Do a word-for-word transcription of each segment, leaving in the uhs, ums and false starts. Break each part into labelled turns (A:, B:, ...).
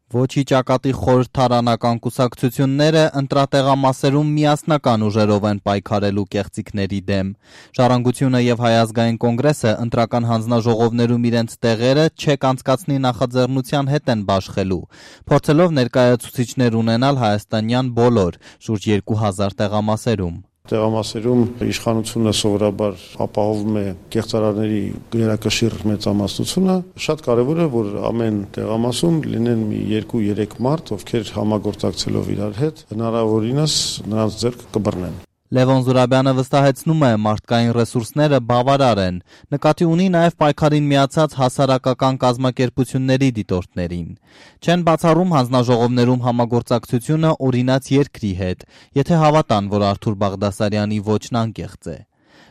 A: Ոչի ճակատի խորհրդարանական կուսակցությունները ընտրատեղամասերում միասնական ուժերով են պայքարելու կեղծիքների դեմ։ Ժառանգությունը եւ Հայ ազգային կոնգրեսը ընտրական հանձնաժողովներում իրենց տեղերը չեք անցկացնի նախաձեռնության հետ են բաշխելու, փորձելով ներկայացուցիչներ ունենալ հայաստանյան բոլոր շուրջ երկու հազար տեղամասերում։
B: Տեղամասերում իշխանությունը սովորաբար ապահովում է կեղծարարների գերակշիռ մեծամասնությունը։ Շատ կարևոր է, որ ամեն տեղամասում լինեն մի երկու-երեք մարդ, ովքեր համագործակցելով իրար հետ հնարավորինս նրանց ձեռքը կբռնեն։
A: Լևոն Զուրաբյանը վստահեցնում է, մարդկային ռեսուրսները բավարար են, նկատի ունի նաև պայքարին միացած հասարակական կազմակերպությունների դիտորդներին։ Չեն բացառում հանձնաժողովներում համագործակցությունը օրինաց երկրի հետ, եթե հավատան, որ Արթուր Բաղդասարյանի ոճն անկեղծ է։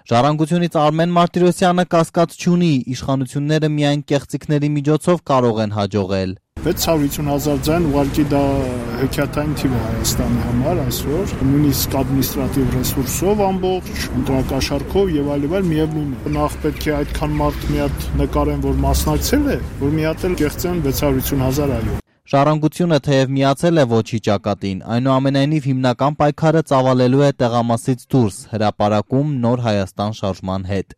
A: Ժառանգությունից Արմեն Մարտիրոսյանը կասկած չունի, իշխանությունները միայն կեղծիքների միջոցով կարող են հաջողել։
C: վեց հարյուր ութսուն հազար ձայն ուղղակի դա հեքիաթային թիվ է Հայաստանի համար այսօր, նույնիսկ ադմինիստրատիվ ռեսուրսով ամբողջ, ընտրակաշառքով եւ այլ եւ այլ միևնույն է։ Նախ պետք է այդքան մարդ մի հատ նկարեն, որ մասնակցել է, որ մի հատ էլ կեղծեն վեց հարյուր ութսուն հազար այո։
A: Ժառանգությունը թեև միացել է ոչի ճակատին, այնուամենայնիվ հիմնական պայքարը ծավալելու է տեղամասից դուրս հրապարակում Նոր Հայաստան շարժման հետ։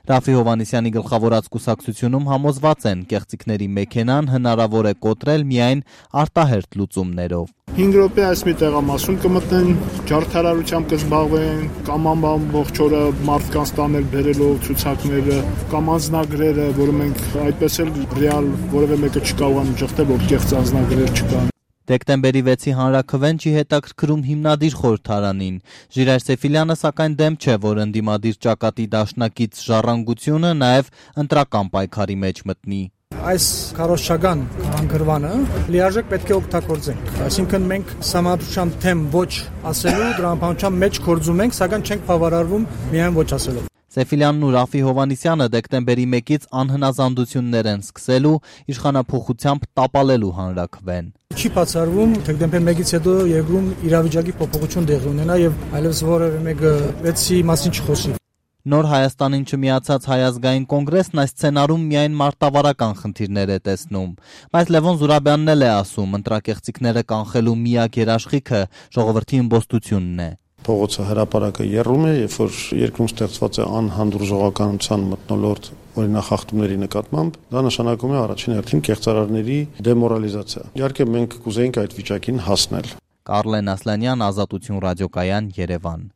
A: Ռաֆի Հովհաննիսյանի գլխավորած կուսակցությունում համոզված են, կեղծիքների մեքենան հնարավոր է կոտրել միայն արտահերթ լուծումներով։
C: հինգ րոպե այս մի տեղամասում կմտնեն, ջարդարարությամբ կզբաղվեն, կամ ամբողջ օրը մարդկանց տանել բերելով ցուցակները, կամ անձնագրերը, որը մենք այդպես էլ ռեալ որևէ մեկը չկարողանում ճշտել, որ կեղծ անձնագրեր չկան։
A: Դեկտեմբերի վեցի հանրաքվեն չի հետաքրքրում հիմնադիր խորհրդարանին։ Ժիրայր Սեֆիլյանը սակայն դեմ չէ, որ ընդդիմադիր ճակատի դաշնակից Ժառանգությունը նաև ընտրական պայքարի մեջ մտնի։
D: Այս քարոզչական անկրվանը լիարժեք պետք է օգտագործենք։ Այսինքն մենք համապատասխան թեմ ոչ ասելու դրա համապատասխան մեջ կորձում ենք, սակայն չենք բավարարվում միայն ոչ ասելով։
A: Սեֆիլյանն ու Ռաֆի Հովհաննիսյանը դեկտեմբերի մեկից անհնազանդություններ են սկսելու իշխանափոխությամբ տապալելու հանրաքվեն։
D: Չի բացառվում դեկտեմբեր մեկից հետո երկրում իրավիճակի փոփոխություն տեղի ունենա եւ այլևս որևէ մեկը վեցի մասին չխոսի։
A: Նոր Հայաստանին չմիացած Հայ ազգային կոնգրեսն այս սցենարում միայն մարտավարական խնդիրներ է տեսնում, բայց Լևոն Զուրաբյանն էլ է ասում, ընտրակեղծիքները կանխելու միակ երաշխիքը ժողովրդի իմբոստությունն է։
B: Փողոցը հրապարակը եռում է, երբ որ երկրում ստեղծված է անհանդուրժողականության մթնոլորտ օրինախախտումների նկատմամբ, դա նշանակում է առաջին հերթին կեղծարարների դեմորալիզացիա։ Իհարկե մենք կուզեինք այդ վիճակին հասնել։
A: Կարլեն Ասլանյան, Ազատություն ռադիոկայան, Երևան։